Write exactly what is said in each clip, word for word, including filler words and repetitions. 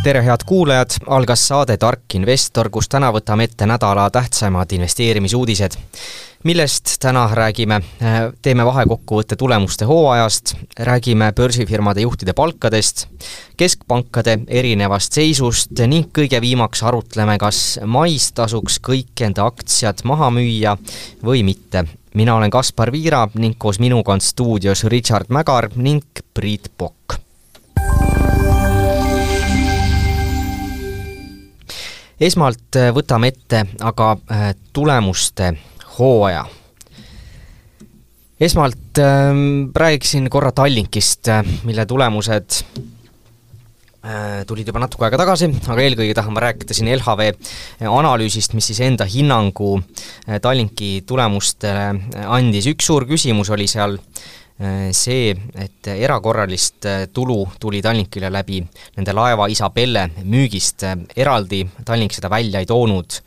Tere head kuulajad, algas saade Tark Investor, kus täna võtame ette nädala tähtsamad investeerimisuudised. Millest täna räägime? Teeme vahekokkuvõtte tulemuste hooajast, räägime börsifirmade juhtide palkadest, keskpankade erinevast seisust ning kõige viimaks arutleme, kas mais tasuks kõik enda aktsiad maha müüa või mitte. Mina olen Kaspar Viira ning koos minuga on stuudios Richard Mägar ning Priit Pokk. Esmalt võtame ette aga tulemuste hooaja. Esmalt räägiksin korra Tallinkist, mille tulemused tulid juba natuke aega tagasi, aga eelkõige tahan ma rääkida siin L H V analüüsist, mis siis enda hinnangu Tallinki tulemustele andis. Üks suur küsimus oli seal see, et erakorralist tulu tuli Tallinkile läbi nende laeva Isabelle müügist. Eraldi Tallink seda välja ei toonud,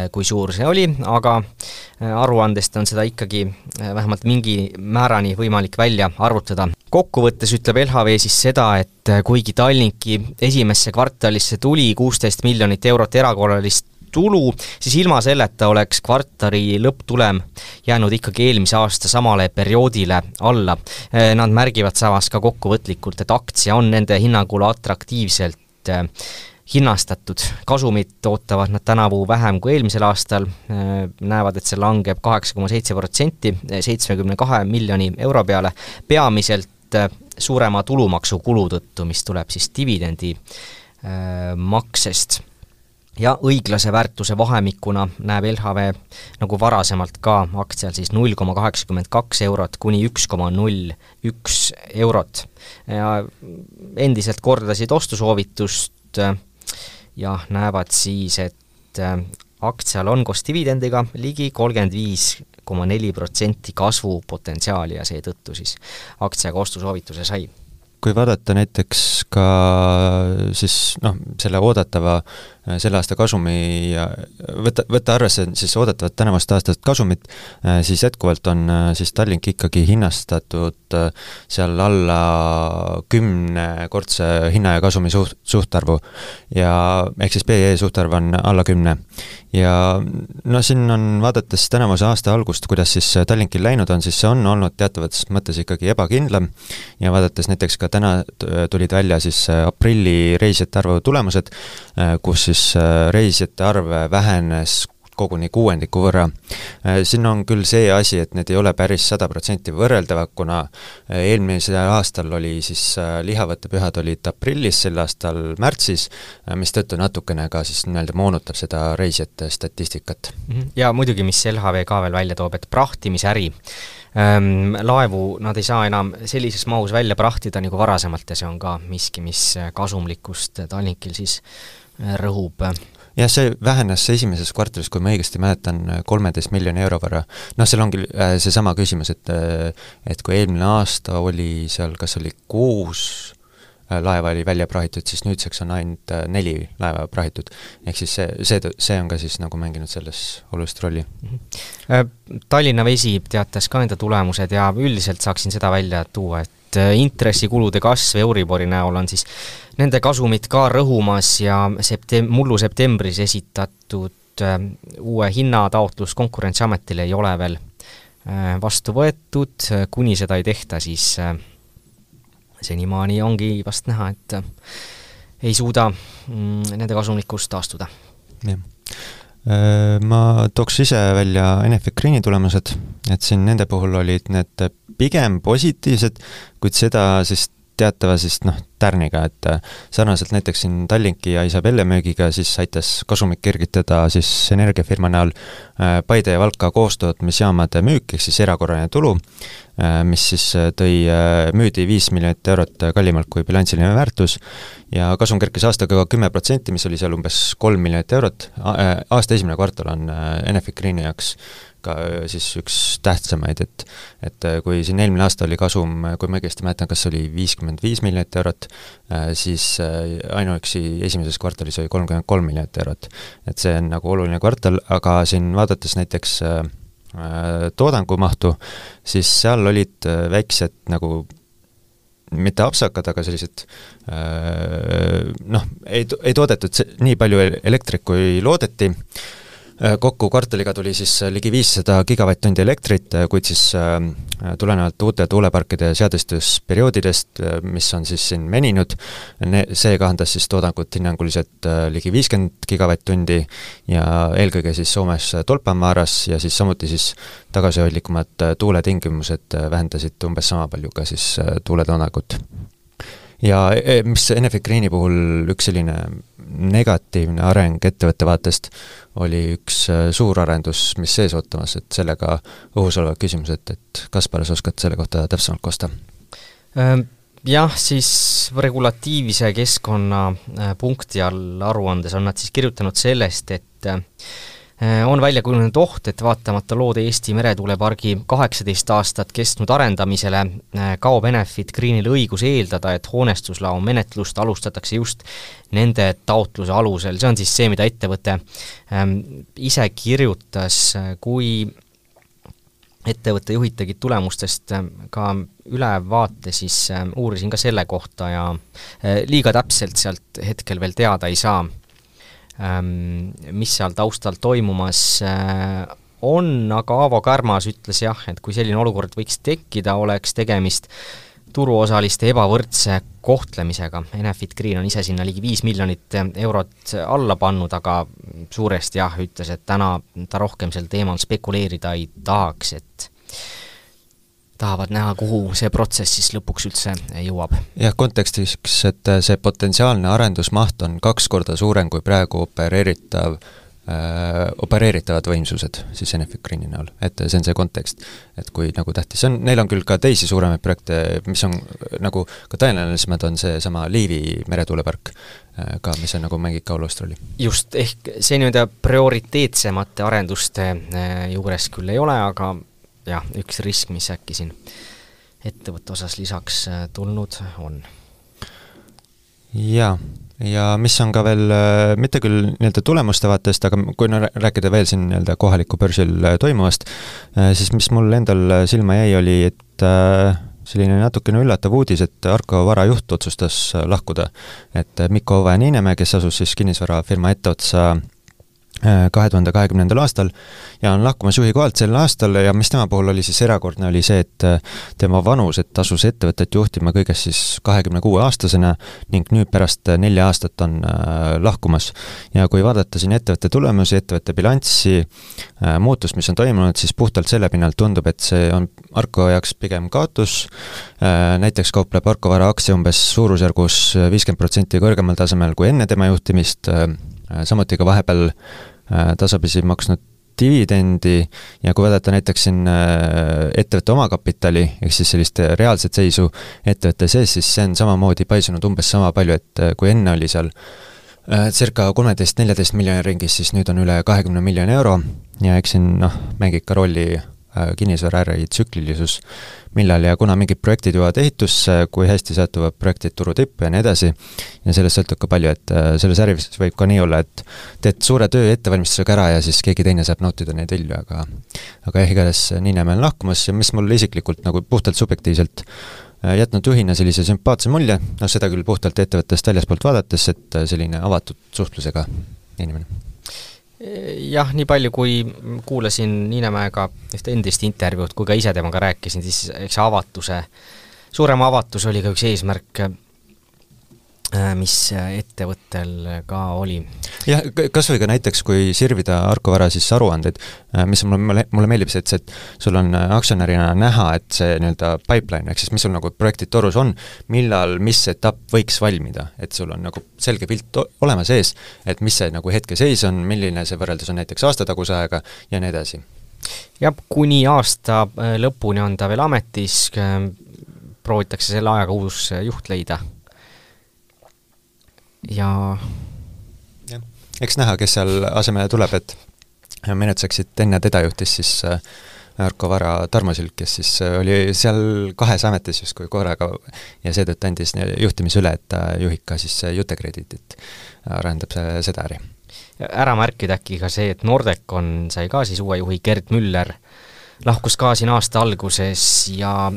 kui suur see oli, aga aruandest on seda ikkagi vähemalt mingi määrani võimalik välja arvutada. Kokkuvõttes ütleb L H V siis seda, et kuigi Tallinki esimesse kvartalisse tuli kuusteist miljonit eurot erakorralist tulu, siis ilma selleta oleks kvartali lõpptulem jäänud ikkagi eelmise aasta samale perioodile alla. Nad märgivad samas ka kokkuvõtlikult, et aktsia on nende hinnangul atraktiivselt hinnastatud. Kasumit ootavad nad tänavu vähem kui eelmisel aastal, näevad, et see langeb kaheksa koma seitse protsenti seitsmekümne kahe miljoni euro peale, peamiselt suurema tulumaksu kulu tõttu, mis tuleb siis dividendi maksest. Ja õiglase väärtuse vahemikuna näeb L H V nagu varasemalt ka aktsial siis null koma kaheksakümmend kaks eurot kuni üks koma null üks eurot. Ja endiselt kordasid ostusoovitust ja näevad siis, et aktsial on koos dividendiga ligi kolmkümmend viis koma neli protsenti kasvu potentsiaali ja seetõttu siis aktsiaga ostusoovituse sai. Kui vaadata näiteks ka siis, noh, selle oodatava selle aasta kasumi ja võtta, võtta arvesse siis oodatavat tänavast aastast kasumit, siis jätkuvalt on siis Tallink ikkagi hinnastatud seal alla kümnekordse hinna ja kasumi suht, suhtarvu ja ehk siis P E suhtarv on alla kümne. Ja no siin on vaadates tänavuse aasta algust, kuidas siis Tallinkil läinud on, siis see on olnud teatavates mõttes ikkagi ebakindlam ja vaadates näiteks ka täna tulid välja siis aprilli reisijate arvu tulemused, kus siis reisijate arv vähenes koguni kuuendiku võrra. Siin on küll see asi, et need ei ole päris sada protsenti võrreldava, kuna eelmisel aastal oli siis lihavõttepühad olid aprillis, sel aastal märtsis, mis tõttu natukene ka siis nii-öelda moonutab seda reisijate statistikat. Ja muidugi, mis L H V ka veel välja toob, et prahtimisäri ähm, laevu nad ei saa enam sellises mahus välja prahtida nagu varasemalt ja see on ka miski, mis kasumlikkust Tallinkil siis rõhub. Ja see vähenes esimeses kvartalis, kui ma õigesti mäletan, kolmeteist miljoni euro võrra. Noh, seal ongi see sama küsimus, et, et kui eelmine aasta oli seal, kas oli kuus laeva oli välja prahitud, siis nüüdseks on ainult neli laeva prahitud. Ehk siis see, see, see on ka siis nagu mänginud selles olulist rolli. Tallinna Vesi teatas ka enda tulemused ja üldiselt saaksin seda välja tuua, et intressikulude kasv Euribori näol on siis nende kasumid ka rõhumas ja septem- mullu septembris esitatud uue hinnataotlus Konkurentsiametile ei ole veel vastu võetud, kuni seda ei tehta, siis senimaani ongi vast näha, et ei suuda nende kasumlikust taastuda. Ja. Ma tooks ise välja Enefit Greeni tulemused, et siin nende puhul olid need pigem positiivsed, kuid seda siis teatava siis noh, tärniga, et sarnaselt näiteks siin Tallinki ja Isabelle müügiga siis aitas kasumik kergitada siis energiafirma näol Paide ja Valka koostootmisjaamade müük, ehk siis erakorraline tulu, mis siis tõi müüdi viis miljonit eurot kallimalt kui bilansiline väärtus ja kasum kerkis aastaga kümme protsenti, mis oli seal umbes kolm miljonit eurot. Aasta esimene kvartal on Enefit Greeni jaoks ka siis üks tähtsamaid, et, et kui siin eelmine aasta oli kasum, kui ma õigesti mäletan, kas oli viiskümmend viis miljonit eurot, siis ainuüksi esimeses kvartalis oli kolmkümmend kolm miljonit eurot. Et see on nagu oluline kvartal, aga siin vaadates näiteks toodangumahtu, siis seal olid väiksed nagu mitte apsakad, aga sellised noh, ei, ei toodetud nii palju elektrit, kui loodeti. Kokku kvartaliga tuli siis ligi viissada gigavatt-tundi elektrit, kuid siis tulenevalt uute tuuleparkide seadestusperioodidest, mis on siis siin meninud, see kahandas siis toodangut hinnanguliselt ligi viiskümmend gigavatt-tundi ja eelkõige siis Soomes Tolpanvaaras ja siis samuti siis tagasihoidlikumad tuuletingimused vähendasid umbes sama palju ka siis tuuletoodangut. Ja mis Enefit Greeni puhul üks selline negatiivne areng ettevõtte vaatest oli üks suur arendus, mis sees ootamas, et sellega õhus olevad küsimused, et Kaspar, sa oskad selle kohta täpsemalt kosta? Jah, siis regulatiivse keskkonna punkti all aruandes on nad siis kirjutanud sellest, et on välja kujunenud oht, et vaatamata loode Eesti meretuulepargi kaheksateist aastat kestnud arendamisele kaob Enefit Greenil õigus eeldada, et hoonestuslao menetlust alustatakse just nende taotluse alusel. See on siis see, mida ettevõte ise kirjutas, kui ettevõtte juhid tegid tulemustest ka ülevaate, siis uurisin ka selle kohta ja liiga täpselt sealt hetkel veel teada ei saa, mis seal taustal toimumas on, aga Aavo Kärmas ütles jah, et kui selline olukord võiks tekkida, oleks tegemist turuosaliste ebavõrdse kohtlemisega. Enefit Green on ise sinna ligi viis miljonit eurot alla pannud, aga suuresti jah, ütles, et täna ta rohkem sel teemal spekuleerida ei tahaks, et tahavad näha, kuhu see protsess siis lõpuks üldse jõuab. Jah, kontekstiks, et see potentsiaalne arendusmaht on kaks korda suurem kui praegu opereeritav, äh, opereeritavad võimsused siis Enefit Greeni näol. Et see on see kontekst, et kui nagu tähtis on, neil on küll ka teisi suuremaid projekte, mis on nagu ka tõenäolisemad on see sama Liivi meretuulepark ka, mis on nagu mängib ka olulist rolli. Just, ehk see nii-öelda prioriteetsemate arenduste juures küll ei ole, aga jah, üks risk, mis äkki siin ettevõtte osas lisaks tulnud on. Jaa, ja mis on ka veel, mitte küll nii-öelda tulemuste vaatest, aga kui rääkida veel siin nii-öelda kohaliku börsil toimuvast, siis mis mul endal silma jäi, oli, et selline natukene üllatav uudis, et Arko varajuht otsustas lahkuda. Et Mikko Ove Niinemäe, kes asus siis kinnisvarafirma etteotsa kahe tuhande kahekümnendal aastal ja on lahkumas juhi kohalt sel aastal ja mis tema puhul oli siis erakordne, oli see, et tema vanus, et asus ettevõtet juhtima kõigest siis kahekümne kuue aastasena ning nüüd pärast nelja aastat on lahkumas. Ja kui vaadata siin ettevõtte tulemusi, ettevõtte bilanssi, muutust, mis on toimunud, siis puhtalt selle pinnalt tundub, et see on Arko jaoks pigem kaotus. Näiteks kaupleb Arko vara aktsia umbes suurusjärgus viiskümmend protsenti kõrgemal tasemel kui enne tema juhtimist, samuti ka vahepeal tasapisi maksnud dividendi ja kui vaadata näiteks siin ettevõtte omakapitali, ehk siis sellist reaalset seisu ettevõtte sees, siis see on samamoodi paisunud umbes sama palju, et kui enne oli seal circa kolmteist neljateist miljoni ringis, siis nüüd on üle kahekümne miljoni euro ja eks siin noh, mängib ka rolli kinnisvaraäri tsüklilisus, millal ja kuna mingid projektid jõuavad ehitusse, kui hästi satuvad projektid turu tippu ja nii edasi, ja sellest sõltub ka palju, et selles äris võib ka nii olla, et teed suure töö ettevalmistusega ära ja siis keegi teine saab nautida neid vilju, aga aga jah, igades Niinemäe on lahkumas ja mis mul isiklikult nagu puhtalt subjektiivselt jätnud juhina sellise sümpaatse mulje, no seda küll puhtalt ettevõttest väljaspoolt vaadates, et selline avatud suhtlusega inimene. Jah, nii palju kui kuulasin Niinemäega ühte endist intervjuud, kui ka ise temaga rääkisin, siis eks avatuse, suurema avatus oli ka üks eesmärk, mis ettevõttel ka oli. Jah, kas või ka näiteks, kui sirvida Arko vara siis aruanded, mis mulle, mulle meeldib see, et, see, et sul on aktsionärina näha, et see nii-öelda pipeline, ehk siis mis sul nagu projektid torus on, millal, mis etapp võiks valmida, et sul on nagu selge pilt olemas ees, et mis see nagu hetke seis on, milline see võrreldes on näiteks aastataguse aega ja nii edasi. Ja kuni aasta lõpuni on ta veel ametis, proovitakse selle ajaga uus juht leida. Ja ja, eks näha, kes seal asemele tuleb, et menetseksid enne teda juhtis siis Arko vara Tarmo Silk, kes siis oli seal kahes ametis just kui korraga ja seetõttu andis juhtimise üle, et ta juhib ka siis Jutekredit, arendab seda äri. Ära märkida äkki ka see, et Nordecon sai ka siis uue juhi Gerd Müller lahkus ka siin aasta alguses ja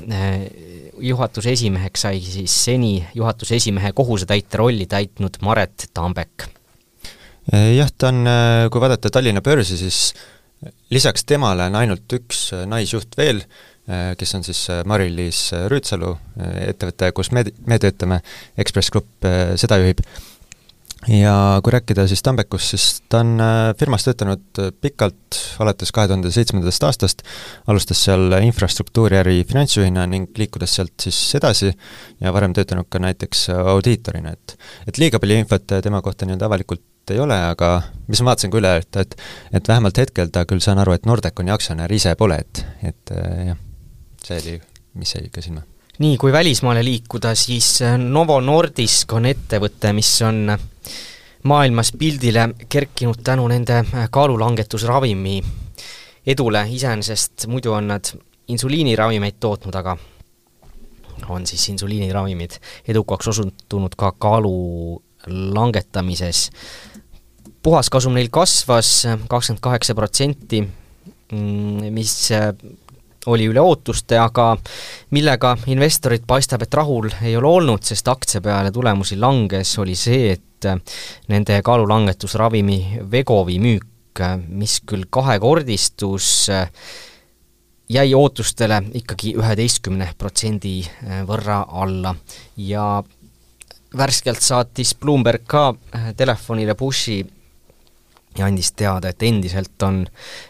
juhatuse esimeheks sai siis seni juhatuse esimehe kohusetäitja rolli täitnud Maret Tambek. Jah, ta on, kui vaadata Tallinna börsi, siis lisaks temale on ainult üks naisjuht veel, kes on siis Mari-Liis Rüütsalu, ettevõte, kus me, me töötame, Ekspress Grupp seda juhib. Ja kui rääkida siis Tambekust, siis ta on firmas töötanud pikalt, alates kahe tuhande seitsmendast aastast, alustas seal infrastruktuuri äri finantsjuhina ning liikudes sealt siis edasi ja varem töötanud ka näiteks audiitorina, et, et liiga palju infot tema kohta nii-öelda avalikult ei ole, aga mis ma vaatasin ka üle, et, et, et vähemalt hetkel ta küll saan aru, et Nordeconi aktsionär ise pole, et, et jah, see oli, mis jäi ka silma. Nii, kui välismaale liikuda, siis Novo Nordisk on ettevõte, mis on maailmas pildile kerkinud tänu nende kaalulangetusravimi edule, iseenesest muidu on nad insuliiniravimeid tootnud, aga on siis insuliiniravimid edukaks osutunud ka kaalu langetamises. Puhaskasum neil kasvas kakskümmend kaheksa protsenti, mis oli üle ootuste, aga millega investorid paistab, et rahul ei ole olnud, sest aktsia peale tulemusi langes, oli see, et nende kaalulangetusravimi Vegovi müük, mis küll kahekordistus, jäi ootustele ikkagi üheteistkümne protsendi võrra alla ja värskelt saatis Bloomberg ka telefonile pushi ja andis teada, et endiselt on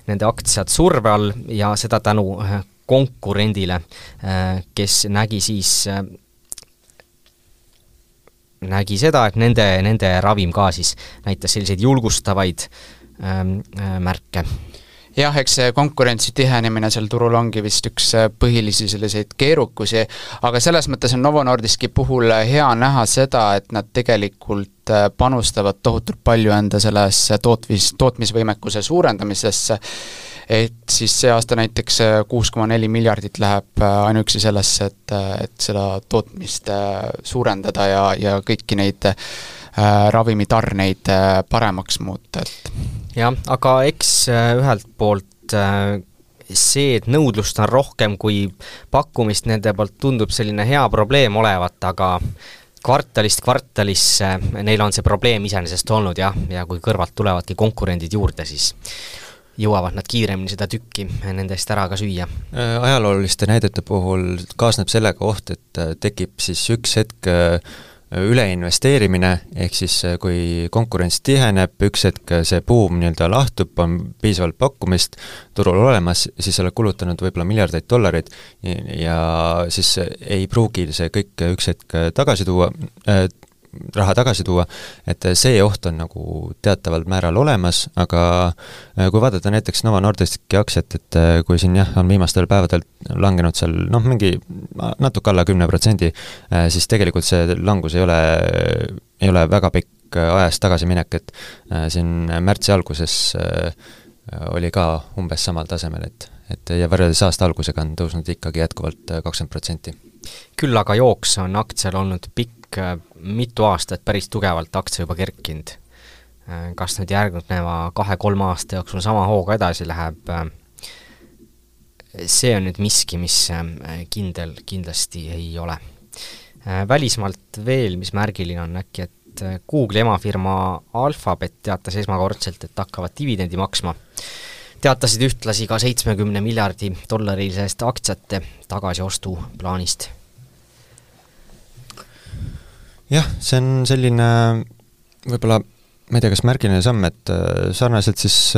nende aktsiad surve all ja seda tänu konkurendile, kes nägi siis nägi seda, et nende, nende ravim ka siis näitas selliseid julgustavaid märke. Jah, eks see konkurentsi tihenemine seal turul ongi vist üks põhilisi selliseid keerukusi, aga selles mõttes on Novo Nordiski puhul hea näha seda, et nad tegelikult panustavad tohutult palju enda selles tootmis, tootmisvõimekuse suurendamisesse, et siis see aasta näiteks kuus koma neli miljardit läheb ainuüksi sellesse, et, et seda tootmist suurendada ja, ja kõiki neid ravimitarneid paremaks muuta, et jah, aga eks ühelt poolt see, et nõudlust on rohkem kui pakkumist, nende poolt tundub selline hea probleem olevat, aga kvartalist kvartalisse neil on see probleem iseenesest olnud jah, ja kui kõrvalt tulevadki konkurendid juurde, siis jõuavad nad kiiremini seda tükki nendest ära ka süüa. Ajalooliste näidete puhul kaasneb sellega oht, et tekib siis üks hetk üleinvesteerimine, ehk siis kui konkurents tiheneb, üks hetk see buum nii-öelda lahtub, on piisavalt pakkumist turul olemas, siis oled kulutanud võib-olla miljardeid dollareid ja siis ei pruugi see kõik üks hetk tagasi tuua, äh, raha tagasi tuua, et see oht on nagu teataval määral olemas, aga kui vaadata näiteks Novo Nordiski aktsiat, et kui siin jah, on viimastel päevadel langenud seal noh, mingi natuke alla kümne protsendi, siis tegelikult see langus ei ole, ei ole väga pikk ajast tagasi minek, et siin märtsi alguses oli ka umbes samal tasemel, et, et ja võrreldes aasta algusega on tõusnud ikkagi jätkuvalt kakskümmend protsenti. Küll aga jooks on aktsial olnud pikk mitu aastat päris tugevalt aktsia juba kerkinud. Kas nüüd järgneva kahe-kolme aasta jooksul sama hooga edasi läheb, see on nüüd miski, mis kindel kindlasti ei ole. Välismaalt veel, mis märgiline on äkki, et Google emafirma Alphabet teatas esmakordselt, et hakkavad dividendi maksma. Teatasid ühtlasi ka seitsmekümne miljardi dollarilisest aktsiate tagasiostu plaanist. Jah, see on selline võib-olla, ma ei tea, kas märgiline samm, et sarnaselt siis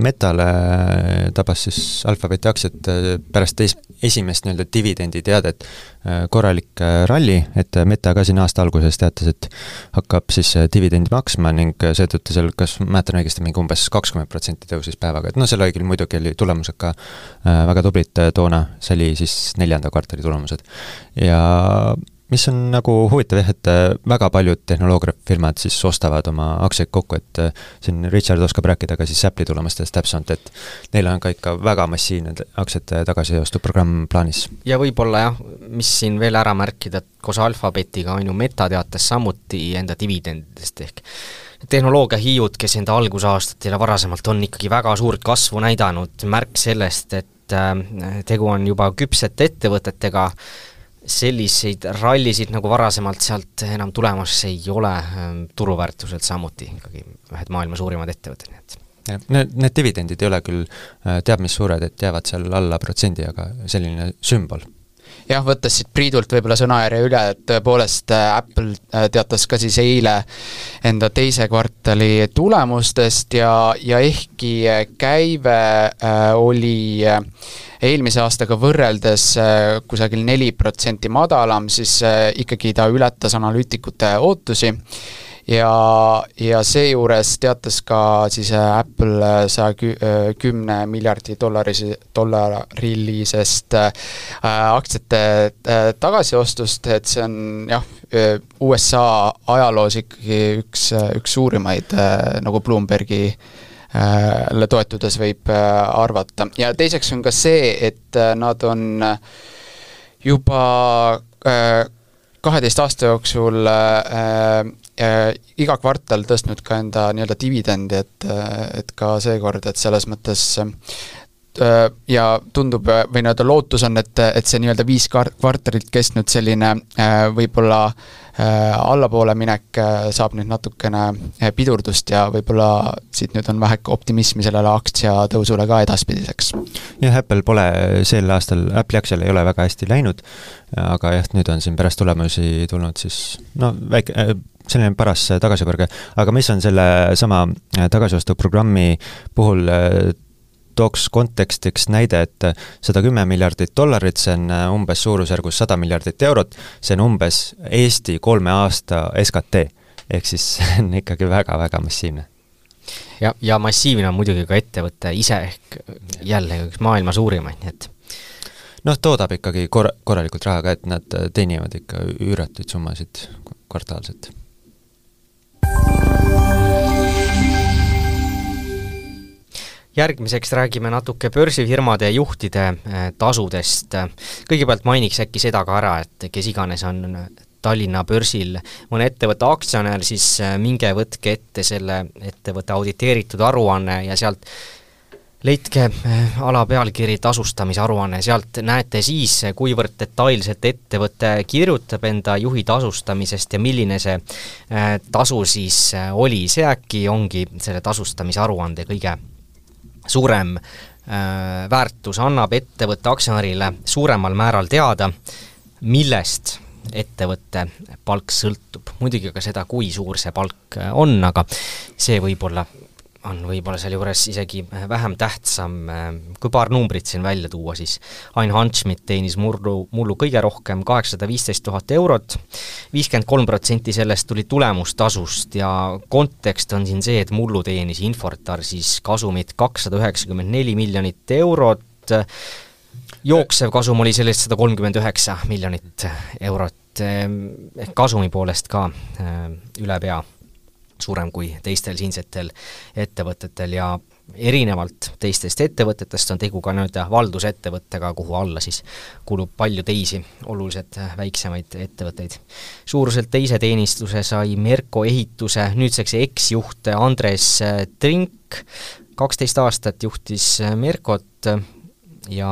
Metale tabas siis Alphabeti aktsiat pärast es- esimest nii-öelda dividendi teadet korralik ralli, et Meta ka siin aasta alguses teatas, et hakkab siis dividendi maksma ning seetõttu seal, kas mäletan õigesti, mingi umbes kakskümmend protsenti tõusis päevaga, et noh, selle õigel muidugi oli tulemused ka väga tublid toona, see oli siis neljanda kvartali tulemused. Ja mis on nagu huvitav jah, et väga paljud tehnoloogiafirmad siis ostavad oma aktsiaid kokku, et siin Richard oskab rääkida ka siis Apple'i tulemustest täpsemalt, et neil on ka ikka väga massiivne aktsiate tagasiostuprogramm plaanis. Ja võib-olla jah, mis siin veel ära märkida, et koos Alphabetiga on ju Meta teates samuti enda dividendidest ehk tehnoloogiahiiud, kes enda algusaastatel ja varasemalt on ikkagi väga suurt kasvu näidanud, märk sellest, et tegu on juba küpsete ettevõtetega, selliseid rallisid nagu varasemalt sealt enam tulemas ei ole, turuväärtuselt samuti ikkagi ühed maailma suurimad ettevõtted, nii et ja, need, need dividendid ei ole küll teab mis suured, et jäävad seal alla protsendi, aga selline sümbol. Jah, võttes siit Priidult võib-olla sõnajärje üle, et tõepoolest Apple teatas ka siis eile enda teise kvartali tulemustest ja, ja ehkki käive äh, oli eelmise aastaga võrreldes äh, kusagil neli protsenti madalam, siis äh, ikkagi ta ületas analüütikute ootusi. Ja, ja seejuures teatas ka siis Apple saja kümne miljardi dollari, dollarilisest aktsiate tagasiostust, et see on jah, U S A ajaloos ikkagi üks, üks suurimaid, nagu Bloombergi toetudes võib arvata. Ja teiseks on ka see, et nad on juba kaheteist aasta jooksul äh, äh, iga kvartal tõstnud ka enda nii-öelda dividendi, et, et ka seekord, et selles mõttes äh, ja tundub, või nii-öelda lootus on, et, et see nii-öelda viis kvartalit kestnud selline äh, võib-olla äh, allapoole minek äh, saab nüüd natukene pidurdust ja võib-olla siit nüüd on vähe optimismi sellele aktsia tõusule ka edaspidiseks. Jah, Apple pole sel aastal, Apple'i aktsial ei ole väga hästi läinud, aga jah, nüüd on siin pärast tulemusi tulnud siis no väike, selline paras tagasipõrge, aga mis on selle sama tagasiostuprogrammi puhul tooks kontekstiks näide, et sada kümme miljardit dollarit, see on umbes suurusjärgus sada miljardit eurot, see on umbes Eesti kolme aasta S K T, ehk siis see on ikkagi väga-väga massiivne. Ja, ja massiivne on muidugi ka ettevõtte ise ehk jälle üks maailma suurimaid, nii et noh, toodab ikkagi kor- korralikult raha ka, et nad teenivad ikka üüratuid summasid kvartaalselt. Järgmiseks räägime natuke börsifirmade juhtide tasudest. Kõigepealt mainiks äkki seda ka ära, et kes iganes on Tallinna börsil mõne ettevõtte aktsionär, siis minge võtke ette selle ettevõtte auditeeritud aruanne ja sealt leidke ala pealkiri tasustamise aruanne, sealt näete siis, kuivõrd detailselt ettevõte kirjutab enda juhi tasustamisest ja milline see tasu siis oli. See äkki ongi selle tasustamise aruande kõige suurem väärtus, annab ettevõtte aktsionärile suuremal määral teada, millest ettevõtte palk sõltub. Muidugi ka seda, kui suur see palk on, aga see võib-olla on võib-olla seal juures isegi vähem tähtsam. Kui paar numbrit siin välja tuua, siis Ain Hanschmidt teenis mullu, mullu kõige rohkem kaheksasada viisteist tuhat eurot, viiskümmend kolm protsenti sellest tuli tulemustasust ja kontekst on siin see, et mullu teenis Infortar siis kasumit kakssada üheksakümmend neli miljonit eurot, jooksev kasum oli sellest sada kolmkümmend üheksa miljonit eurot, ehk kasumi poolest ka üle pea suurem kui teistel siinsetel ettevõtetel ja erinevalt teistest ettevõtetest on tegu ka nüüd valdusettevõttega, kuhu alla siis kulub palju teisi oluliselt väiksemaid ettevõtteid. Suuruselt teise teenistuse sai Merko ehituse nüüdseks eksjuht Andres Trink, kaksteist aastat juhtis Merkot ja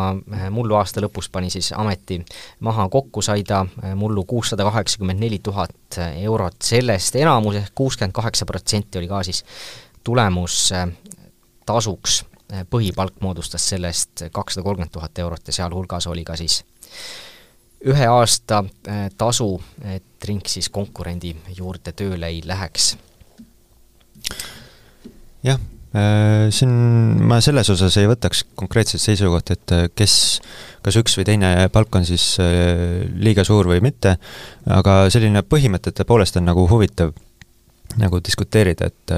mullu aasta lõpus pani siis ameti maha, kokku sai ta mullu kuussada kaheksakümmend neli tuhat eurot, sellest enamus ehk kuuskümmend kaheksa protsenti oli ka siis tulemus tasuks, põhipalk moodustas sellest kakssada kolmkümmend tuhat eurot ja seal hulgas oli ka siis ühe aasta tasu, et Rink siis konkurendi juurde tööle ei läheks. Jah, siin ma selles osas ei võtaks konkreetset seisukoht, et kes, kas üks või teine palk on siis liiga suur või mitte, aga selline põhimõtete poolest on nagu huvitav nagu diskuteerida, et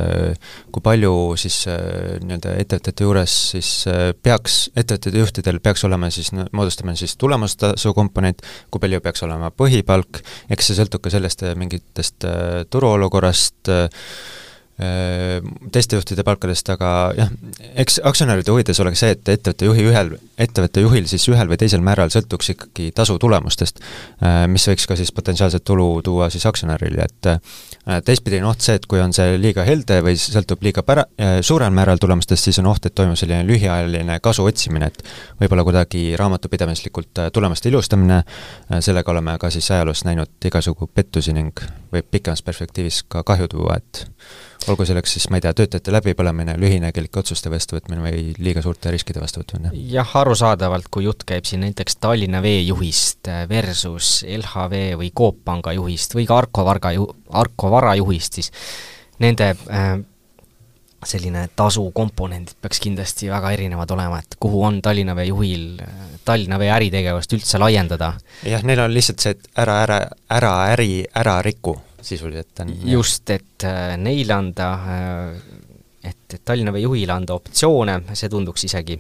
kui palju siis nii-öelda ettevõtete juures siis peaks, ettevõtete juhtidel peaks olema siis, moodustama siis tulemustasu komponent, kui palju peaks olema põhipalk, eks see sõltub ka sellest mingitest turuolukorrast, teiste juhtide palkadest, aga jah, eks aktsionäride huvides oleks see, et ettevõtte juhi ühel, ettevõtte juhil siis ühel või teisel määral sõltuks ikkagi tasu tulemustest, mis võiks ka siis potentsiaalset tulu tuua siis aktsionärile, et teistpidi on oht see, et kui on see liiga helde või sõltub liiga pära, suurel määral tulemustest, siis on oht, et toimub selline lühiajaline kasu otsimine, et võib-olla kuidagi raamatupidamislikult tulemuste ilustamine, sellega oleme ka siis ajaloos näinud igasugu pettusi ning võib pikemas perspektiivis ka kahju tuua, et olgu selleks siis, ma ei tea, töötajate läbipõlemine, lühinägelike otsuste vastuvõtmine või liiga suurte riskide vastuvõtmine. Jah, arusaadavalt, kui jutt käib siin näiteks Tallinna Vee juhist versus L H V või Coop Panga juhist või ka Arko Varga ju-, Arko Vara juhist, siis nende äh, selline tasu komponendid peaks kindlasti väga erinevad olema, et kuhu on Tallinna Vee juhil Tallinna Vee äritegevust üldse laiendada. Jah, neil on lihtsalt see, et ära, ära, ära äri, ära riku sisuliselt on. Just, et äh, neile anda, et, et Tallinna Vee juhile anda optsioone, see tunduks isegi,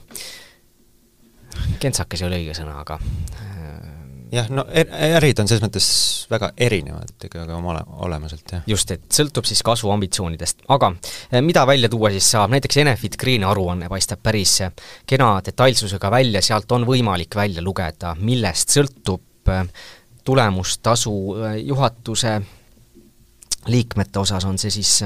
kentsakas ei ole õige sõna, aga jah, no ärid on selles mõttes väga erinevad ikkagi oma olemuselt, jah. Just, et sõltub siis kasvu ambitsioonidest. Aga mida välja tuua siis saab? Näiteks Enefit Green aruanne paistab päris kena detailsusega välja, sealt on võimalik välja lugeda, millest sõltub tulemustasu juhatuse liikmete osas, on see siis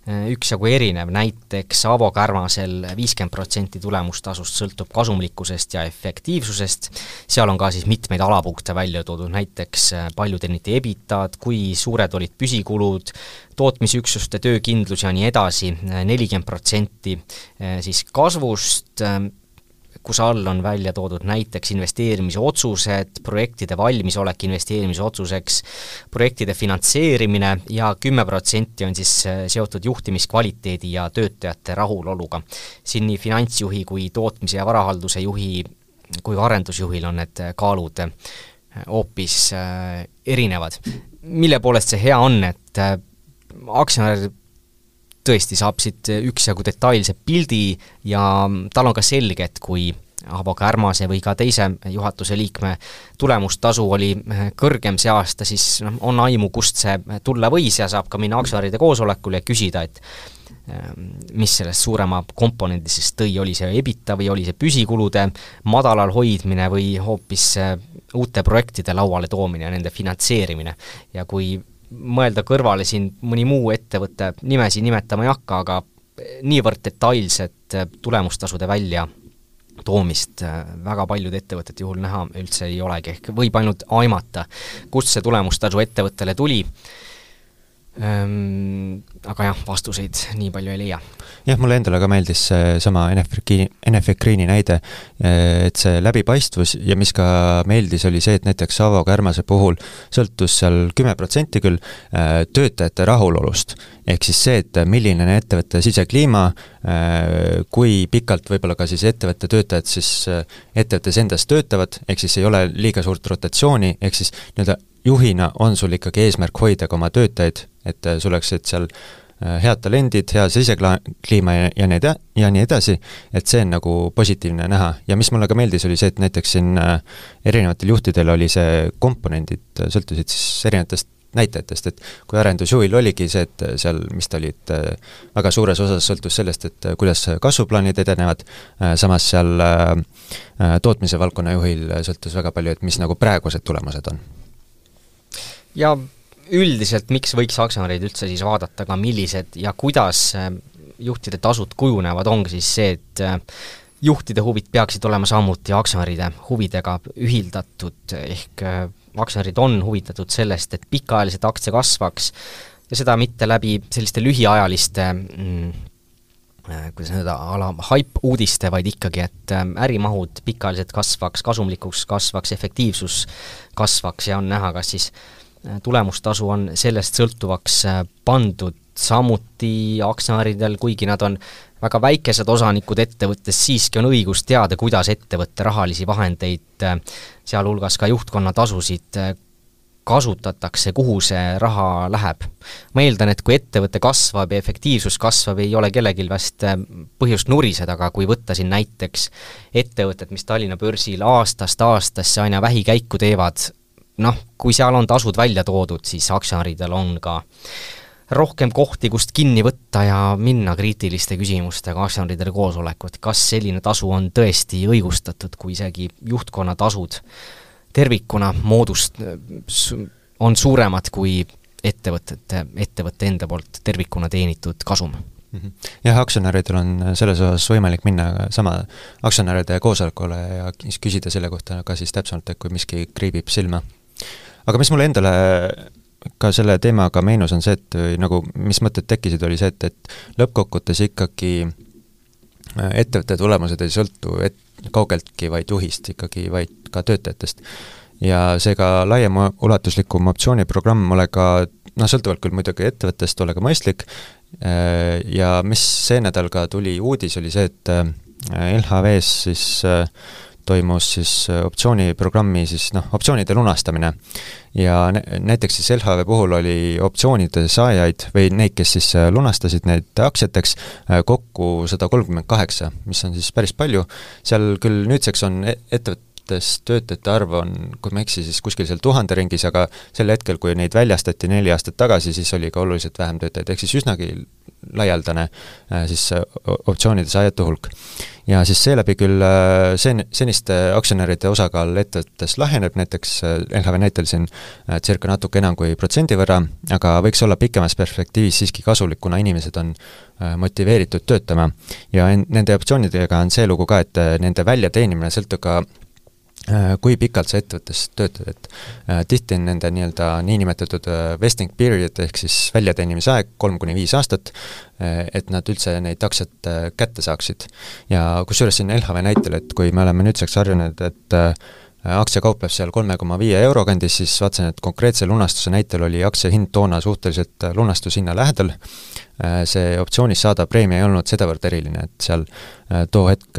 üksjagu erinev, näiteks Avo Kärmasel viiskümmend protsenti tulemustasust sõltub kasumlikkusest ja efektiivsusest, seal on ka siis mitmeid alapunkte välja toodud, näiteks palju teeniti ebitad, kui suured olid püsikulud, tootmisüksuste töökindlus ja nii edasi, nelikümmend protsenti siis kasvust, kus all on välja toodud näiteks investeerimise otsused, projektide valmisolek investeerimise otsuseks, projektide finantseerimine ja kümme protsenti on siis seotud juhtimiskvaliteedi ja töötajate rahuloluga. Siin nii finantsjuhi kui tootmise ja varahalduse juhi kui ka arendusjuhil on need kaalud hoopis erinevad. Mille poolest see hea on, et aktsionär tõesti saab siit üksjagu detailse pildi ja tal on ka selge, et kui Avo Kärmase või ka teise juhatuse liikme tulemustasu oli kõrgem see aasta, siis no, on aimu, kust see tulla võis ja saab ka minna aktsionäride koosolekule ja küsida, et mis sellest suurema komponendi siis tõi, oli see ebita või oli see püsikulude madalal hoidmine või hoopis uute projektide lauale toomine ja nende finantseerimine. Ja kui mõelda kõrvale siin mõni muu ettevõtte, nimesi nimetama ei hakka, aga niivõrd detailset tulemustasude välja toomist väga paljud ettevõtted juhul näha üldse ei olegi, ehk võib ainult aimata, kust see tulemustasu ettevõttele tuli. Ähm, aga jah, vastuseid nii palju ei leia. Jah, mulle endale ka meeldis sama Enefit Greeni näide, et see läbipaistvus ja mis ka meeldis, oli see, et näiteks Avo Kärmase puhul sõltus seal kümme protsenti küll töötajate rahulolust. Ehk siis see, et milline on ettevõtte sisekliima, kui pikalt võib-olla ka siis ettevõtte töötajad siis ettevõttes endas töötavad, ehk siis ei ole liiga suurt rotatsiooni, ehk siis nii-öelda juhina on sul ikkagi eesmärk hoida ka oma töötajaid, et sul oleks seal head talendid, hea sisekliima ja, ja, need, ja nii edasi, et see on nagu positiivne näha. Ja mis mulle ka meeldis, oli see, et näiteks siin erinevatel juhtidel oli see komponendid, sõltusid siis erinevatest näitajatest, et kui arendusjuhil oligi see, et seal, mis ta olid, väga suures osas sõltus sellest, et kuidas kasvuplaanid edenevad, samas seal tootmise valdkonna juhil sõltus väga palju, et mis nagu praegused tulemused on. Ja üldiselt, miks võiks aktsionärid üldse siis vaadata ka millised ja kuidas juhtide tasud kujunevad, ongi siis see, et juhtide huvid peaksid olema samuti aktsionäride huvidega ühildatud, ehk aktsionärid on huvitatud sellest, et pikaajaliselt aktsia kasvaks ja seda mitte läbi selliste lühiajaliste mm, kuidas öelda, ala hype-uudiste, vaid ikkagi, et ärimahud pikaajaliselt kasvaks, kasumlikuks kasvaks, efektiivsus kasvaks ja on näha, kas siis tulemustasu on sellest sõltuvaks pandud samuti aktsionäridel, kuigi nad on väga väikesed osanikud ettevõttes, siiski on õigus teada, kuidas ettevõtte rahalisi vahendeid, sealhulgas ka juhtkonna tasusid kasutatakse, kuhu see raha läheb. Ma eeldan, et kui ettevõte kasvab ja efektiivsus kasvab, ei ole kellelgi vast põhjust nuriseda, aga kui võtta siin näiteks ettevõtted, mis Tallinna börsil aastast aastasse aina vähikäiku teevad, noh, kui seal on tasud välja toodud, siis aktsionäridel on ka rohkem kohti, kust kinni võtta ja minna kriitiliste küsimustega aktsionäridele koosolekut. Kas selline tasu on tõesti õigustatud, kui isegi juhtkonna tasud tervikuna moodust on suuremad kui ettevõtete, ettevõtte enda poolt tervikuna teenitud kasum? Jah, aktsionäridel on selles osas võimalik minna sama aktsionäride koosolekule ja küsida selle kohta ka siis täpsemalt, et kui miski kriibib silma. Aga mis mulle endale ka selle teemaga meenus on see, et nagu mis mõtted tekkisid, oli see, et, et lõppkokkutes ikkagi ettevõtte tulemused ei sõltu et, kaugeltki vaid juhist, ikkagi vaid ka töötajatest. Ja seega laiem ulatuslikum optsiooniprogramm ole ka, noh, sõltuvalt küll muidugi ettevõttest, ole ka mõistlik, ja mis see nädal ka tuli uudis, oli see, et L H V-s siis toimus siis optsiooniprogrammi siis noh, optsioonide lunastamine ja näiteks siis L H V puhul oli optsioonide saajaid või neid, kes siis lunastasid neid aktsiateks kokku sada kolmkümmend kaheksa, mis on siis päris palju, seal küll nüüdseks on ettevõtte töötajate arv on, kui ma eksi, siis kuskil seal tuhande ringis, aga sel hetkel, kui neid väljastati neli aastat tagasi, siis oli ka oluliselt vähem töötajaid, ehk siis üsnagi laialdane siis optsioonide saajate hulk. Ja siis seeläbi küll sen, seniste aktsionäride osakaal ettevõttes laheneb, näiteks L H V näitel siin circa natuke enam kui protsendi võrra, aga võiks olla pikemas perspektiivis siiski kasulik, kuna inimesed on motiveeritud töötama. Ja nende optsioonidega on see lugu ka, et nende väljateenimine sõltub ka kui pikalt sa ettevõttes töötad, et äh, tihti on nende nii-öelda niinimetatud äh, vesting period ehk siis väljateenimise aeg kolm kuni viis aastat, äh, et nad üldse neid aktsiat äh, kätte saaksid. Ja kusjuures siin L H V näitel, et kui me oleme nüüdseks harjunud, et äh, aktsia kaupleb seal kolme koma viie euro kandis, siis vaatasin, et konkreetse lunastuse näitel oli aktsia hind toona suhteliselt lunastushinna lähedal. See optsioonis saada preemia ei olnud sedavõrd eriline, et seal too hetk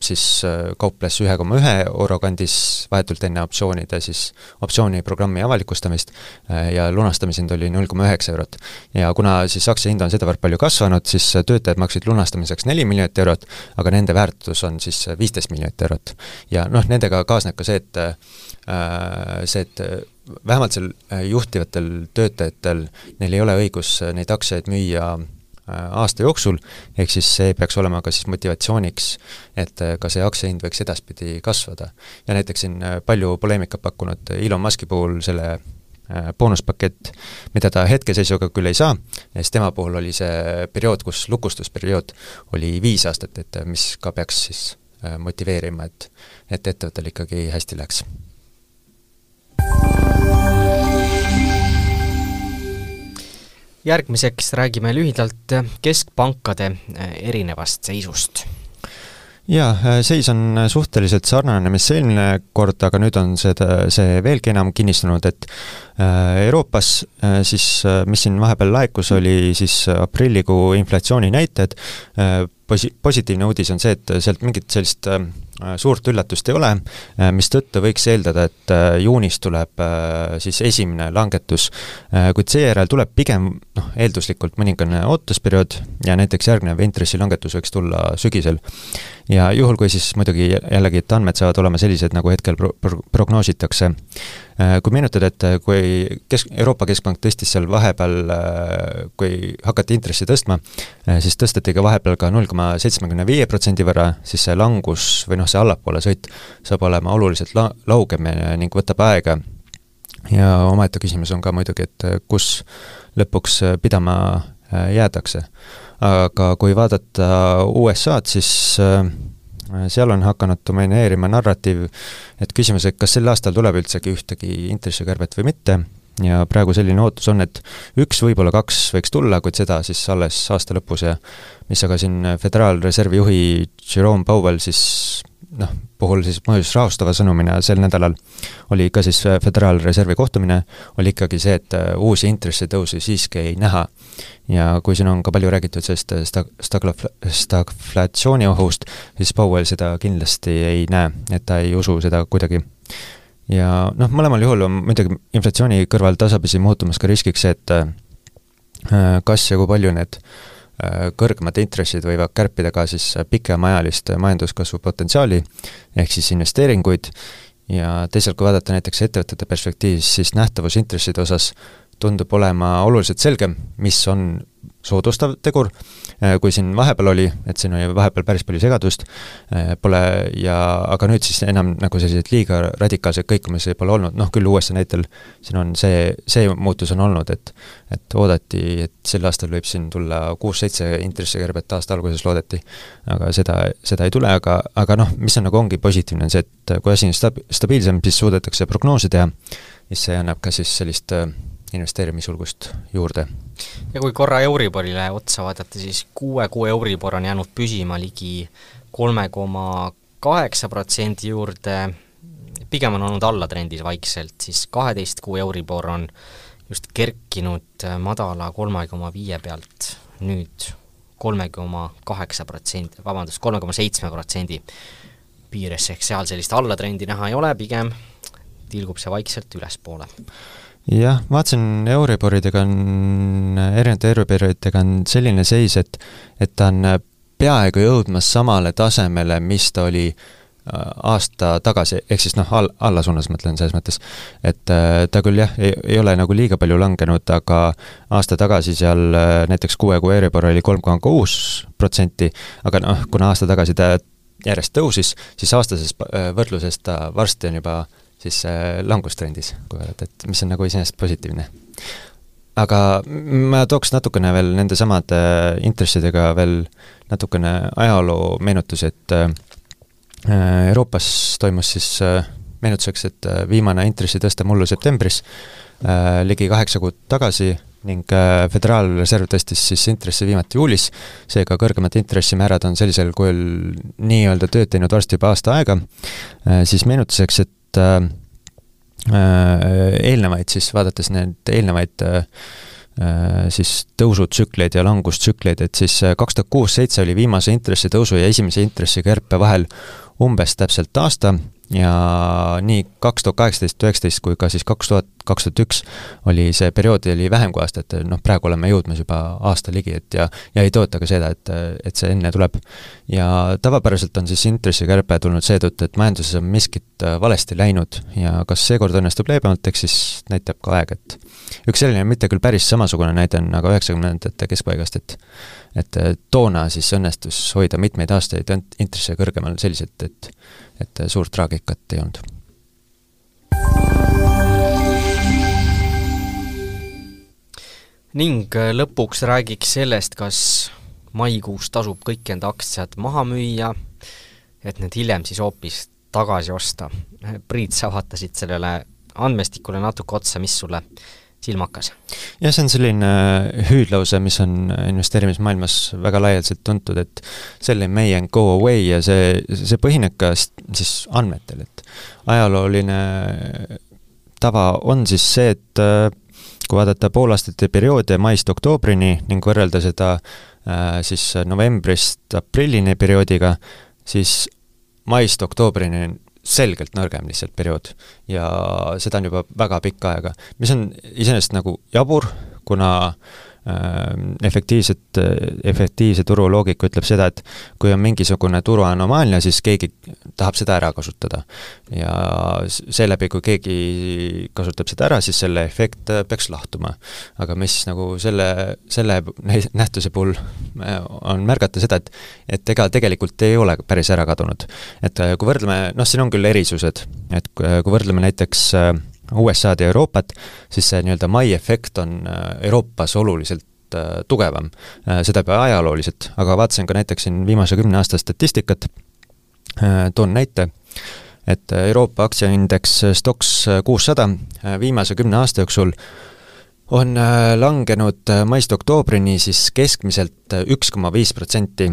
siis kauples ühe koma ühe euro kandis vahetult enne optsioonide siis optsiooniprogrammi avalikustamist ja lunastamishind oli null koma üheksa eurot. Ja kuna siis aktsia hind on sedavõrd palju kasvanud, siis töötajad maksid lunastamiseks neli miljonit eurot, aga nende väärtus on siis viisteist miljonit eurot. Ja noh, nendega kaasneb ka see, et see, et vähemalt seal juhtivatel töötajatel neil ei ole õigus neid aktsiaid müüa aasta jooksul, ehk siis see peaks olema ka siis motivatsiooniks, et ka see aktsiahind võiks edaspidi kasvada. Ja näiteks siin palju poleemikat pakkunud Elon Muski puhul selle boonuspakett, mida ta hetkeseisuga küll ei saa, ja siis tema puhul oli see periood, kus lukustusperiood oli viis aastat, et mis ka peaks siis motiveerima, et, et ettevõttel ikkagi hästi läks. Järgmiseks räägime lühidalt keskpankade erinevast seisust. Jaa, seis on suhteliselt sarnane, mis eelmine kord, aga nüüd on seda, see veelgi enam kinnistunud, et Euroopas siis, mis siin vahepeal laekus, oli siis aprillikuu inflatsiooni näited. Posi- positiivne uudis on see, et sealt mingit sellist suurt üllatust ei ole, mis tõttu võiks eeldada, et juunis tuleb siis esimene langetus, kuid seejärel tuleb pigem noh, eelduslikult mõningane ootusperiood ja näiteks järgnev intressilangetus võiks tulla sügisel. Ja juhul, kui siis muidugi jällegi, et andmed saavad olema sellised, nagu hetkel pro- pro- prognoositakse. Kui meenutada, et kui kesk- Euroopa Keskpank tõstis seal vahepeal, kui hakati intressi tõstma, siis tõsteti ka vahepeal ka null koma seitsekümmend viis protsendi võrra, siis see langus või noh, see allapoole sõit saab olema oluliselt la- laugem ning võtab aega. Ja omaette küsimus on ka muidugi, et kus lõpuks pidama jäädakse. Aga kui vaadata U S A-d, siis seal on hakanud domineerima narratiiv, et küsimus, et kas sel aastal tuleb üldsegi ühtegi intressikärbet või mitte, ja praegu selline ootus on, et üks, võib-olla kaks võiks tulla, kuid seda siis alles aasta lõpus ja mis aga siin Föderaalreservi juhi Jerome Powell siis noh, puhul siis mõjus rahustava sõnumina sel nädalal oli ka siis Föderaalreservi kohtumine, oli ikkagi see, et uusi intressitõusi siiski ei näha. Ja kui siin on ka palju räägitud sellest stag- stag- stagflatsiooni ohust, siis Powell seda kindlasti ei näe, et ta ei usu seda kuidagi. Ja noh, mõlemal juhul on muidugi inflatsiooni kõrval tasapisi muutumas ka riskiks see, et kas ja kui palju need kõrgemad intressid võivad kärpida ka siis pikemaajalist majanduskasvu potentsiaali ehk siis investeeringuid ja teisalt, kui vaadata näiteks ettevõtete perspektiivis, siis nähtavus intresside osas tundub olema oluliselt selgem, mis on soodustav tegur, kui siin vahepeal oli, et siin oli vahepeal päris palju segadust, pole ja, aga nüüd siis enam nagu sellised liiga radikaalseid kõikumisi pole olnud, noh küll U S A näitel siin on see, see muutus on olnud, et et oodati, et sel aastal võib siin tulla kuus-seitse intressikärbet aasta alguses loodeti, aga seda, seda ei tule, aga, aga noh, mis on nagu ongi positiivne, on see, et kui asi on stabi- stabiilsem, siis suudetakse prognoose teha, siis see annab ka siis sellist investeerimisjulgust juurde. Ja kui korra Euriborile otsa vaadata, siis kuue kuu Euribor on jäänud püsima ligi kolme koma kaheksa protsendi juurde, pigem on olnud allatrendis vaikselt, siis kaheteist kuu Euribor on just kerkinud madala kolme koma viie pealt nüüd kolme koma kaheksa protsendi, vabandust, kolme koma seitse protsendi piires, ehk seal sellist allatrendi näha ei ole, pigem tilgub see vaikselt ülespoole. Jah, vaatasin Euriboridega on, erinevate Euriboridega on selline seis, et, et ta on peaaegu jõudmas samale tasemele, mis ta oli aasta tagasi, ehk siis noh, all, alla suunas mõtlen selles mõttes, et ta küll jah, ei, ei ole nagu liiga palju langenud, aga aasta tagasi seal näiteks kuue kuu Euribor oli kolm koma kuus protsenti, aga noh, kuna aasta tagasi ta järjest tõusis, siis aastases võrdluses ta varsti on juba siis langustrendis, kui öelda, et mis on nagu iseenesest positiivne. Aga ma tooks natukene veel nende samade intressidega veel natukene ajaloo meenutusi, et Euroopas toimus siis meenutuseks, et viimane intressi tõste mullu septembris ligi kaheksa kuud tagasi ning Föderaalreserv tõstis siis intressi viimati juulis, seega kõrgemad intressimäärad on sellisel kujul nii-öelda tööd teinud varsti juba aasta aega, siis meenutuseks, et eelnevaid siis, vaadates need eelnevaid siis tõusutsükleid ja langustsükleid, et siis kaks tuhat kuus seitse oli viimase intressitõusu ja esimese intressikärpe vahel umbes täpselt aasta ja nii kaks tuhat kaheksateist üheksateist kui ka siis kaks tuhat kaks tuhat üks oli see periood oli vähem kui aasta, et noh, praegu oleme jõudmas juba aasta ligi, et ja, ja ei toota ka seda, et, et see enne tuleb. Ja tavapäraselt on siis intressikärpe tulnud seetõttu, et majanduses on miskit valesti läinud ja kas seekord õnnestub leebemalt, eks siis näitab ka aeg, et üks selline mitte küll päris samasugune näide on aga üheksakümnendate keskpaigast, et et toona siis õnnestus hoida mitmeid aastaid intresse kõrgemal selliselt, et, et suurt traagikat ei olnud. Ning lõpuks räägiks sellest, kas maikuus tasub kõik enda aktsiad maha müüa, et need hiljem siis hoopis tagasi osta. Priit, sa vaatasid sellele andmestikule natuke otsa, mis sulle silmakas? Ja see on selline hüüdlause, mis on investeerimismaailmas väga laialdaselt tuntud, et sell in May and go away ja see, see põhineb ka siis andmetel, et ajalooline tava on siis see, et kui vaadata poolaastate perioode maist oktoobrini ning võrrelda seda siis novembrist aprillini perioodiga, siis maist oktoobrini selgelt nõrgem lihtsalt periood ja seda on juba väga pikka aega, mis on iseenesest nagu jabur, kuna äh, efektiivset, efektiivse turu loogika ütleb seda, et kui on mingisugune turu anomaalia, siis keegi tahab seda ära kasutada ja seeläbi, kui keegi kasutab seda ära, siis selle efekt peaks lahtuma. Aga mis nagu selle, selle nähtuse puhul on märgata seda, et, et ega tegelikult ei ole päris ära kadunud. Et kui võrdleme, noh siin on küll erisused, et kui võrdleme näiteks U S A-d ja Euroopat, siis see nii-öelda mai efekt on Euroopas oluliselt tugevam, seda juba ajalooliselt, aga vaatasin ka näiteks siin viimase kümne aasta statistikat, toon näite, et Euroopa aktsiaindeks Stoxx kuussada viimase kümne aasta jooksul on langenud maist oktoobrini siis keskmiselt üks koma viis protsenti,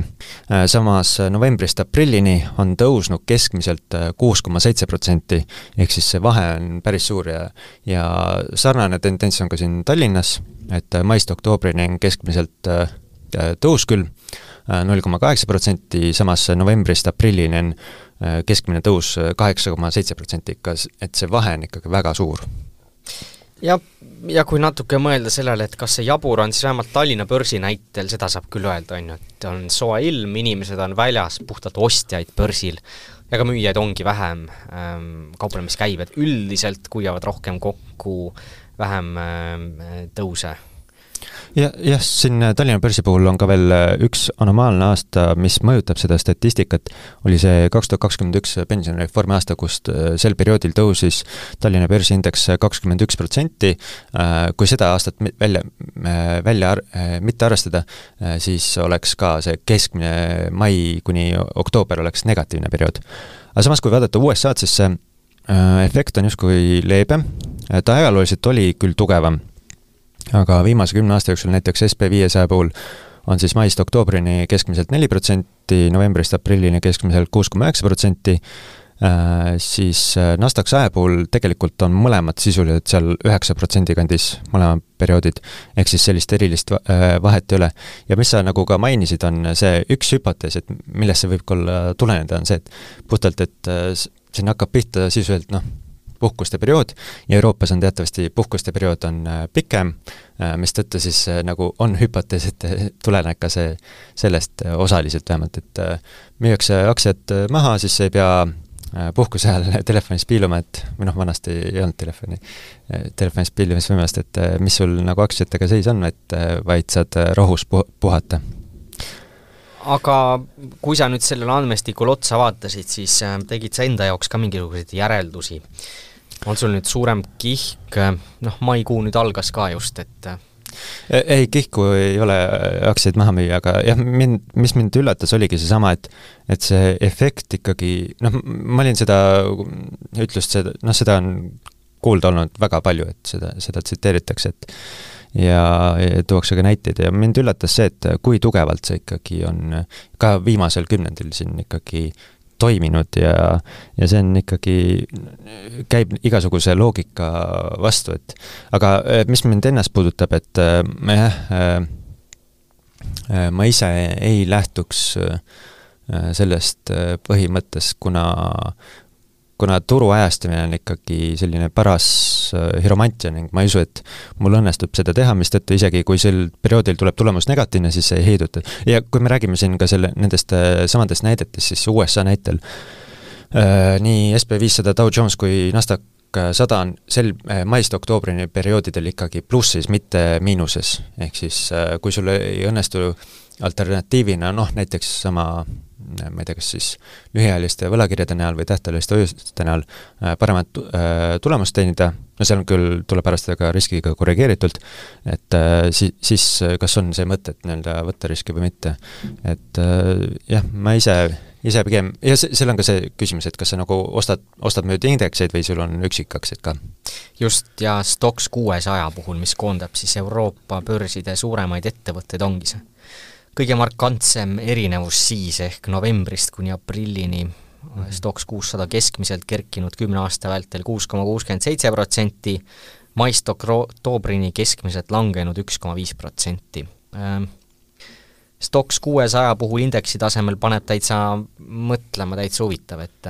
samas novembrist aprillini on tõusnud keskmiselt kuus koma seitse protsenti, ehk siis see vahe on päris suur ja, ja sarnane tendents on ka siin Tallinnas, et maist oktoobrini on keskmiselt tõus küll null koma kaheksa protsenti, samas novembrist aprillini on keskmine tõus kaheksa koma seitse protsenti, et see vahe on ikkagi väga suur. Ja, ja kui natuke mõelda sellele, et kas see jabur on, siis vähemalt Tallinna börsi näitel, seda saab küll öelda, on ju, et on soe ilm, inimesed on väljas, puhtalt ostjaid börsil, ja ka müüjaid ongi vähem, kauplemiskäibed üldiselt kuivavad rohkem kokku, vähem tõuse. Ja, jah, siin Tallinna börsi puhul on ka veel üks anomaalne aasta, mis mõjutab seda statistikat, oli see kaks tuhat kakskümmend üks pensionireformi aasta, kust sel perioodil tõusis Tallinna börsi indeks kakskümmend üks protsenti. Kui seda aastat välja, välja mitte arvestada, siis oleks ka see keskmine mai kuni oktoober oleks negatiivne periood. Aga samas, kui vaadata U S A-d, siis see efekt on justkui leebe. Ta ajalooliselt oli küll tugevam, aga viimase kümne aasta jooksul näiteks S P viiesaja puhul on siis maist oktoobrini keskmiselt neli protsenti, novembrist aprillini keskmiselt kuus koma üheksa protsenti, siis Nasdaq saja puhul tegelikult on mõlemad sisuliselt seal üheksa protsendi kandis mõlemad perioodid, ehk siis sellist erilist vahet ei ole. Ja mis sa nagu ka mainisid, on see üks hüpotees, et millest see võib olla tuleneda, on see, et puhtalt, et siin hakkab pihta sisuliselt, noh, puhkuste periood ja Euroopas on teatavasti puhkuste periood on pikem, mis tõttu siis nagu on hüpotees, et tuleneb ka see sellest osaliselt vähemalt, et müüakse aktsiad maha, siis ei pea puhkuse ajal telefonis piiluma, et või noh, vanasti ei olnud telefoni, telefonis piilimisvõimast, et mis sul nagu aktsiatega seis on, et vaid saad rohus puhata. Aga kui sa nüüd sellele andmestikul otsa vaatasid, siis tegid sa enda jaoks ka mingisuguseid järeldusi. On sul nüüd suurem kihk, noh, maikuu nüüd algas ka just, et ei, kihku ei ole aktsiaid maha müüa, aga jah, mind, mis mind üllatas, oligi see sama, et, et see efekt ikkagi, noh, ma olin seda ütlust, seda, noh, seda on kuulda olnud väga palju, et seda, seda tsiteeritakse, et ja, ja tuuakse ka näiteid ja mind üllatas see, et kui tugevalt see ikkagi on ka viimasel kümnendil siin ikkagi toiminud ja, ja see on ikkagi, käib igasuguse loogika vastu, et aga mis mind ennast puudutab, et jah, ma ise ei lähtuks sellest põhimõttes, kuna kuna turu ajastamine on ikkagi selline paras hiromantia ning ma ei usu, et mul õnnestub seda teha, mis tõttu isegi kui sel perioodil tuleb tulemus negatiivne, siis see ei heiduta. Ja kui me räägime siin ka selle, nendest samadest näidetest, siis U S A näitel äh, nii S P viissada, Dow Jones kui Nasdaq sada on sel maist oktoobrini perioodidel ikkagi plussis, mitte miinuses. Ehk siis äh, kui sul ei õnnestu alternatiivina, noh näiteks sama ma ei tea, kas siis lühiajaliste võlakirjade näol või tähtajaliste hoiuste näol paremat tulemust teenida, no seal küll tuleb arvestada ka riskiga korrigeeritult, et siis, siis kas on see mõte, et nii-öelda võtta riski või mitte. Et jah, ma ise, ise pigem, ja seal on ka see küsimus, et kas sa nagu ostad, ostad mööda indekseid või sul on üksikaktsiaid ka? Just, ja Stoxx kuuesaja puhul, mis koondab siis Euroopa börside suuremaid ettevõtteid, ongi see kõige markantsem erinevus siis ehk novembrist kuni aprillini mm-hmm. Stoxx kuussada keskmiselt kerkinud kümne aasta vältel kuus koma kuuskümmend seitse protsenti, maist oktoobrini keskmiselt langenud üks koma viis protsenti. Stoxx kuuesaja puhul indeksi tasemel paneb täitsa mõtlema, täitsa huvitav, et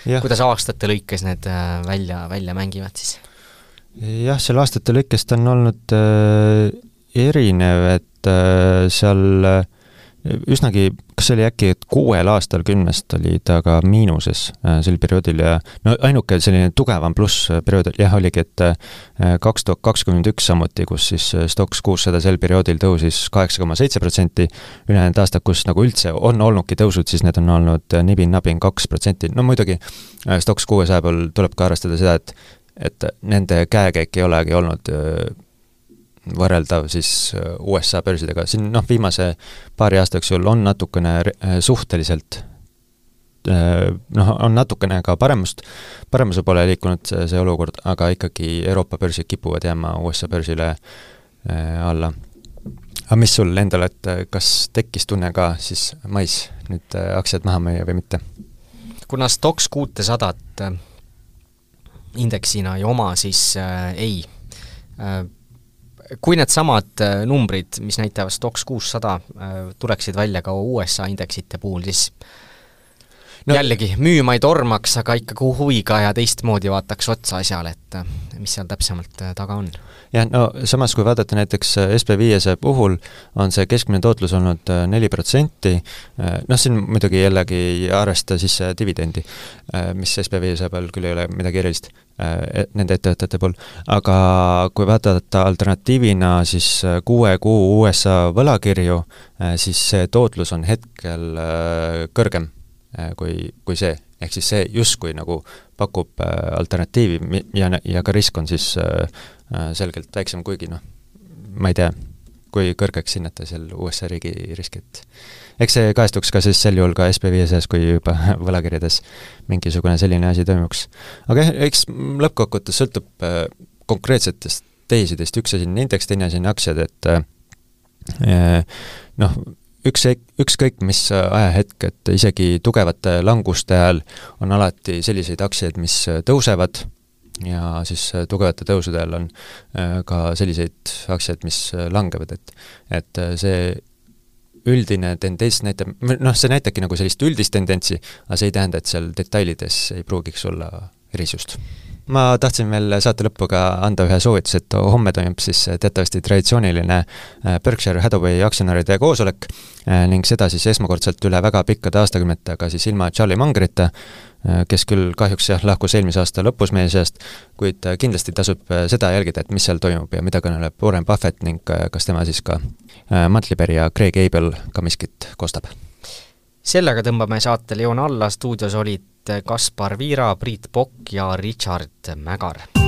ja. Kuidas aastate lõikes need välja, välja mängivad siis? Jah, selle aastate lõikest on olnud äh, erinev, et seal üsnagi, kas see oli äkki, et kuuel aastal kümnest oli ta ka miinuses sel perioodil ja no ainuke selline tugevam pluss perioodil, jah, oligi, et kaks tuhat kakskümmend üks samuti, kus siis Stoxx kuussada sel perioodil tõusis kaheksa koma seitse protsenti, ülejäänud aastad, kus nagu üldse on olnudki tõusud, siis need on olnud nibin-nabin kaks protsenti, no muidugi Stoxx kuuesaja pool tuleb ka arvestada seda, et, et nende käekäik ei olegi olnud võrreldav siis U S A börsidega. Siin noh, viimase paari aasta jooksul on natukene suhteliselt noh, on natukene ka paremust, paremuse poole liikunud see, see olukord, aga ikkagi Euroopa börsid kipuvad jääma U S A börsile alla. Aga mis sul endal, et kas tekkis tunne ka siis mais nüüd aktsiad maha müüa või mitte? Kuna Stoxx kuutesadat indeksina ei oma, siis äh, ei äh, kui need samad numbrid, mis näitavad Stoxx kuussada, tuleksid välja ka U S A indeksite puhul, siis no, jällegi, müüma ei tormaks, aga ikka huviga ja teistmoodi vaataks otsa asjale, et mis seal täpsemalt taga on. jah, no samas kui vaadata näiteks S B viiesaja puhul, on see keskmine tootlus olnud neli protsenti, noh siin muidugi jällegi ei arvesta siis dividendi, mis S B viiesaja peal küll ei ole midagi erilist nende ettevõtete pool, aga kui vaadata alternatiivina siis kuue kuu U S A võlakirju, siis see tootlus on hetkel kõrgem kui, kui see, ehk siis see justkui nagu pakub alternatiivi ja, ja ka risk on siis selgelt väiksem, kuigi noh, ma ei tea, kui kõrgeks hinnata seal U S A riigi riskit. Eks see kaestuks ka siis sel juhul ka S B viiesajas, kui juba võlakirjades mingisugune selline asi toimuks. Aga eks lõppkokkuvõttes sõltub konkreetsetest tehisidest, üks asi on indeks, teine asi on aktsiad, et noh, üks, ükskõik mis ajahetk, et isegi tugevate languste ajal on alati selliseid aktsiaid, mis tõusevad, ja siis tugevate tõusude ajal on ka selliseid aktsiaid, mis langevad, et, et see üldine tendents näitab, noh, see näitabki nagu sellist üldist tendentsi, aga see ei tähenda, et seal detailides ei pruugiks olla erisust. Ma tahtsin veel saate lõppu ka anda ühe soovitus, et homme toimub siis teatavasti traditsiooniline Berkshire Hathaway aktsionäride koosolek ning seda siis esmakordselt üle väga pikkade aastakümnete, aga siis ilma Charlie Mungerita, kes küll kahjuks jah, lahkus eelmise aasta lõpus meie seast, kuid kindlasti tasub seda jälgida, et mis seal toimub ja mida kõneleb Warren Buffett ning kas tema siis ka Mantliperi ja Craig Abel ka miskit kostab. Sellega tõmbame saate Leon alla, stuudios olid Kaspar Viira, Priit Pokk ja Richard Mägar.